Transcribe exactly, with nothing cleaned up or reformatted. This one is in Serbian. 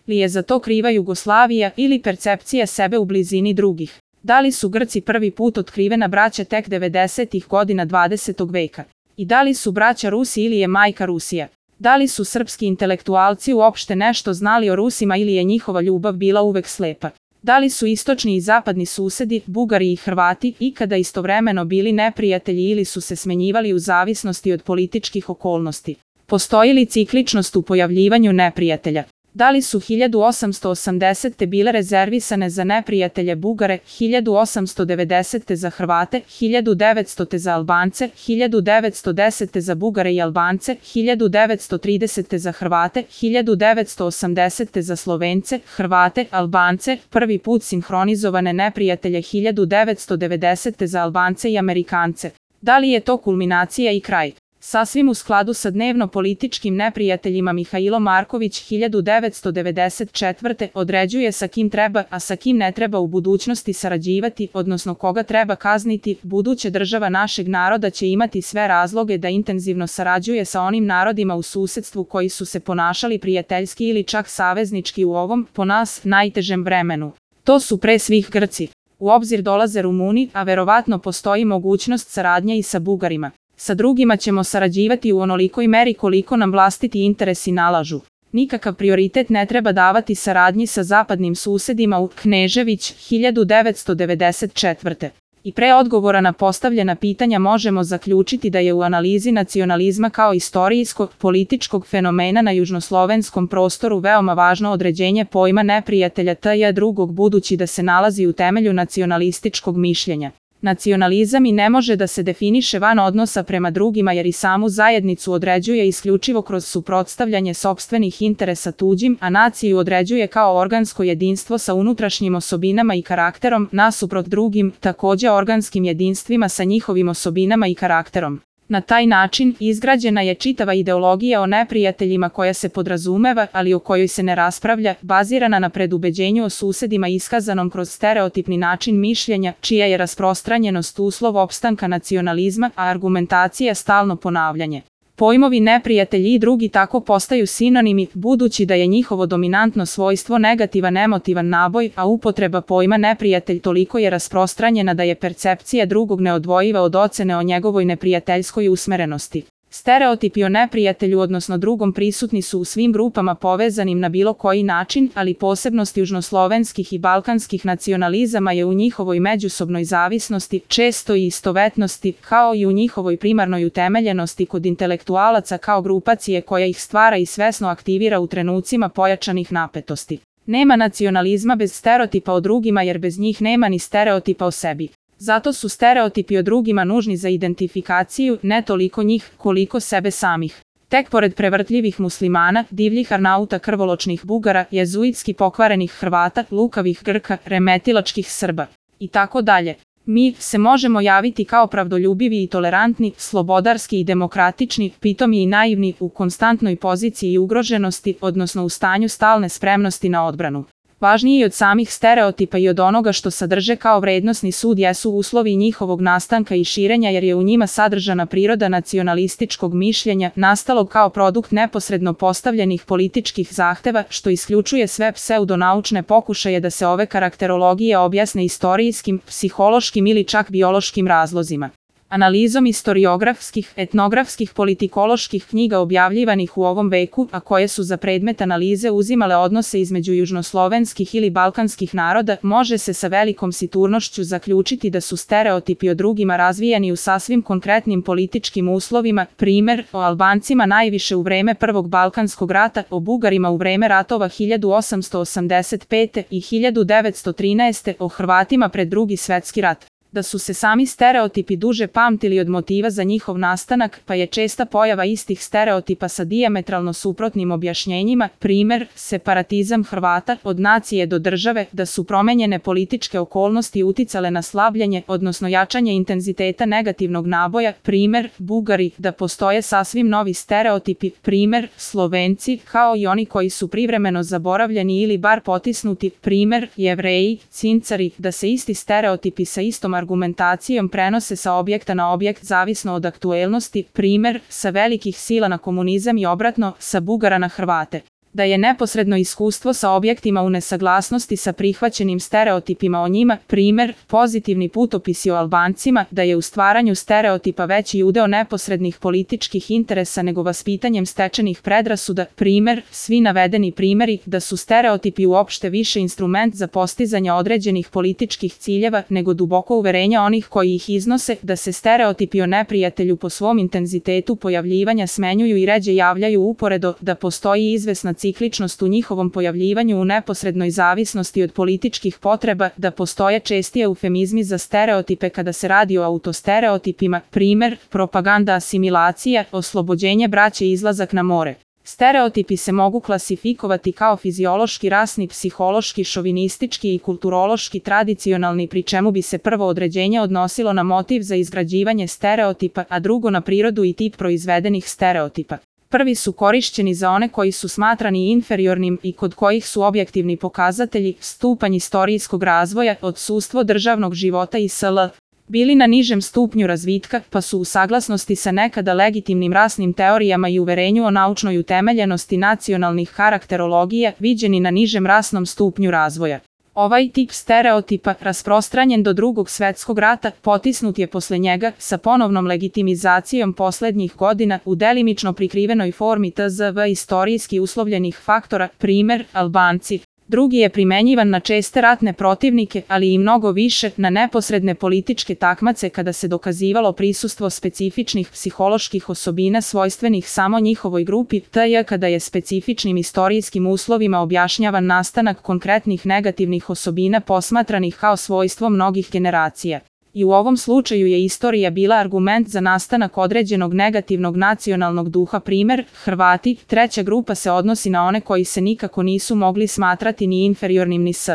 li je za to kriva Jugoslavija ili percepcija sebe u blizini drugih? Da li su Grci prvi put otkrivena braća tek devedesetih godina dvadesetog veka? I da li su braća Rusi ili je majka Rusija? Da li su srpski intelektualci uopšte nešto znali o Rusima ili je njihova ljubav bila uvek slepa? Da li su istočni i zapadni susedi, Bugari i Hrvati, ikada istovremeno bili neprijatelji ili su se smenjivali u zavisnosti od političkih okolnosti? Postoji li cikličnost u pojavljivanju neprijatelja? Da li su hiljadu osamsto osamdesete bile rezervisane za neprijatelje Bugare, hiljadu osamsto devedesete za Hrvate, hiljadu devetstote za Albance, hiljadu devetsto desete za Bugare i Albance, hiljadu devetsto tridesete za Hrvate, hiljadu devetsto osamdesete za Slovence, Hrvate, Albance, prvi put sinhronizovane neprijatelje hiljadu devetsto devedesete za Albance i Amerikance? Da li je to kulminacija i kraj? Sasvim u skladu sa dnevno-političkim neprijateljima Mihailo Marković hiljadu devetsto devedeset četvrte određuje sa kim treba, a sa kim ne treba u budućnosti sarađivati, odnosno koga treba kazniti. Buduća država našeg naroda će imati sve razloge da intenzivno sarađuje sa onim narodima u susedstvu koji su se ponašali prijateljski ili čak saveznički u ovom, po nas, najtežem vremenu. To su pre svih Grci. U obzir dolaze Rumuni, a verovatno postoji mogućnost saradnje i sa Bugarima. Sa drugima ćemo sarađivati u onolikoj meri koliko nam vlastiti interesi nalažu. Nikakav prioritet ne treba davati saradnji sa zapadnim susedima u Knežević hiljadu devetsto devedeset četvrte. I pre odgovora na postavljena pitanja možemo zaključiti da je u analizi nacionalizma kao istorijskog, političkog fenomena na južnoslovenskom prostoru veoma važno određenje pojma neprijatelja T J drugog budući da se nalazi u temelju nacionalističkog mišljenja. Nacionalizam i ne može da se definiše van odnosa prema drugima jer i samu zajednicu određuje isključivo kroz suprotstavljanje sopstvenih interesa tuđim, a naciju određuje kao organsko jedinstvo sa unutrašnjim osobinama i karakterom, nasuprot drugim, takođe organskim jedinstvima sa njihovim osobinama i karakterom. Na taj način izgrađena je čitava ideologija o neprijateljima koja se podrazumeva, ali o kojoj se ne raspravlja, bazirana na predubeđenju o susedima iskazanom kroz stereotipni način mišljenja, čija je rasprostranjenost uslov opstanka nacionalizma, a argumentacija stalno ponavljanje. Pojmovi neprijatelji i drugi tako postaju sinonimi, budući da je njihovo dominantno svojstvo negativan emotivan naboj, a upotreba pojma neprijatelj toliko je rasprostranjena da je percepcija drugog neodvojiva od ocene o njegovoj neprijateljskoj usmerenosti. Stereotipi o neprijatelju odnosno drugom prisutni su u svim grupama povezanim na bilo koji način, ali posebnost južnoslovenskih i balkanskih nacionalizama je u njihovoj međusobnoj zavisnosti, često i istovetnosti, kao i u njihovoj primarnoj utemeljenosti kod intelektualaca kao grupacije koja ih stvara i svesno aktivira u trenucima pojačanih napetosti. Nema nacionalizma bez stereotipa o drugima jer bez njih nema ni stereotipa o sebi. Zato su stereotipi o drugima nužni za identifikaciju, ne toliko njih, koliko sebe samih. Tek pored prevrtljivih muslimana, divljih arnauta krvoločnih Bugara, jezuitski pokvarenih Hrvata, lukavih Grka, remetilačkih Srba i tako dalje. Mi se možemo javiti kao pravdoljubivi i tolerantni, slobodarski i demokratični, pitomi i naivni, u konstantnoj poziciji ugroženosti, odnosno u stanju stalne spremnosti na odbranu. Važniji od samih stereotipa i od onoga što sadrže kao vrednosni sud jesu uslovi njihovog nastanka i širenja jer je u njima sadržana priroda nacionalističkog mišljenja, nastalog kao produkt neposredno postavljenih političkih zahteva, što isključuje sve pseudonaučne pokušaje da se ove karakterologije objasne istorijskim, psihološkim ili čak biološkim razlozima. Analizom istoriografskih, etnografskih, politikoloških knjiga objavljivanih u ovom veku, a koje su za predmet analize uzimale odnose između južnoslovenskih ili balkanskih naroda, može se sa velikom sigurnošću zaključiti da su stereotipi o drugima razvijani u sasvim konkretnim političkim uslovima, primer, o Albancima najviše u vreme Prvog Balkanskog rata, o Bugarima u vreme ratova hiljadu osamsto osamdeset pete i hiljadu devetsto trinaeste, o Hrvatima pred Drugi svetski rat. Da su se sami stereotipi duže pamtili od motiva za njihov nastanak, pa je česta pojava istih stereotipa sa dijametralno suprotnim objašnjenjima, primer, separatizam Hrvata od nacije do države, da su promenjene političke okolnosti uticale na slabljenje, odnosno jačanje intenziteta negativnog naboja, primer, Bugari, da postoje sasvim novi stereotipi, primer, Slovenci, kao i oni koji su privremeno zaboravljeni ili bar potisnuti, primer, Jevreji, Cincari, da se isti stereotipi sa istom argumentacijom prenose sa objekta na objekt zavisno od aktuelnosti, primer, sa velikih sila na komunizam i obratno, sa Bugara na Hrvate. Da je neposredno iskustvo sa objektima u nesaglasnosti sa prihvaćenim stereotipima o njima, primer, pozitivni putopisi o Albancima, da je u stvaranju stereotipa veći udeo neposrednih političkih interesa nego vaspitanjem stečenih predrasuda, primer, svi navedeni primeri, da su stereotipi uopšte više instrument za postizanje određenih političkih ciljeva nego duboko uverenja onih koji ih iznose, da se stereotipi o neprijatelju po svom intenzitetu pojavljivanja smenjuju i ređe javljaju uporedo, da postoji izvesna cikličnost u njihovom pojavljivanju u neposrednoj zavisnosti od političkih potreba, da postoje čestije eufemizmi za stereotipe kada se radi o autostereotipima, primer, propaganda asimilacija, oslobođenje braće i izlazak na more. Stereotipi se mogu klasifikovati kao fiziološki, rasni, psihološki, šovinistički i kulturološki tradicionalni, pri čemu bi se prvo određenje odnosilo na motiv za izgrađivanje stereotipa, a drugo na prirodu i tip proizvedenih stereotipa. Prvi su korišćeni za one koji su smatrani inferiornim i kod kojih su objektivni pokazatelji, stupanj istorijskog razvoja, odsustvo državnog života i sl. bili na nižem stupnju razvitka, pa su u saglasnosti sa nekada legitimnim rasnim teorijama i uverenju o naučnoj utemeljenosti nacionalnih karakterologija viđeni na nižem rasnom stupnju razvoja. Ovaj tip stereotipa, rasprostranjen do Drugog svetskog rata, potisnut je posle njega, sa ponovnom legitimizacijom poslednjih godina, u delimično prikrivenoj formi tzv. Istorijski uslovljenih faktora, primer, Albanci. Drugi je primenjivan na česte ratne protivnike, ali i mnogo više na neposredne političke takmace kada se dokazivalo prisustvo specifičnih psiholoških osobina svojstvenih samo njihovoj grupi, tj. kada je specifičnim istorijskim uslovima objašnjavan nastanak konkretnih negativnih osobina posmatranih kao svojstvo mnogih generacija. I u ovom slučaju je istorija bila argument za nastanak određenog negativnog nacionalnog duha, primer, Hrvati. Treća grupa se odnosi na one koji se nikako nisu mogli smatrati ni inferiornim ni s.